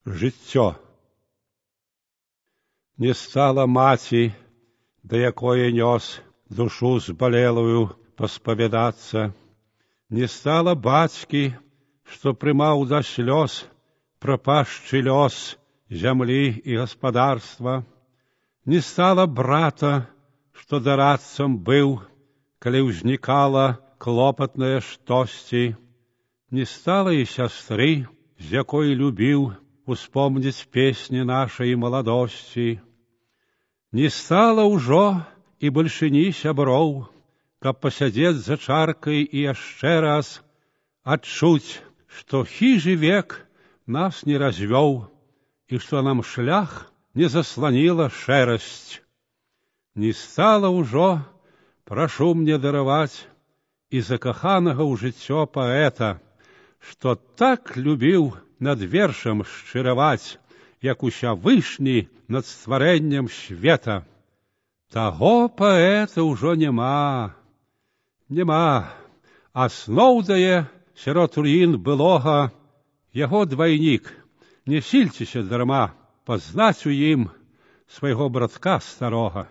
Жыццё. Не стала маці, да якое нёс душу збалелую паспавядацца. Не стала бацькі, што прымаў да слёз прапашчы лёс зямлі і гаспадарства. Не стала брата, што дарадцам быў, калі ўзнікала клопатнае штосьці. Не стала і сястры, з якой любіў успомніць песні нашай маладосці. Не стала ўжо і бальшыні сяброў, каб пасядзець за чаркай і яшчэ раз адчуць, што хіжы век нас не развёў і што нам шлях не засланіла шэрасць. Не стала ўжо, прашу мне дараваць, і закаханага ў жыццё паэта, што так любіў над вершам шчыраваць, як Усявышні над стварэннем света. Таго паэта ўжо няма, а сноўдае сярод руін былога яго двайнік. Не сільцеся дарма пазнаць у ім свайго братка старога.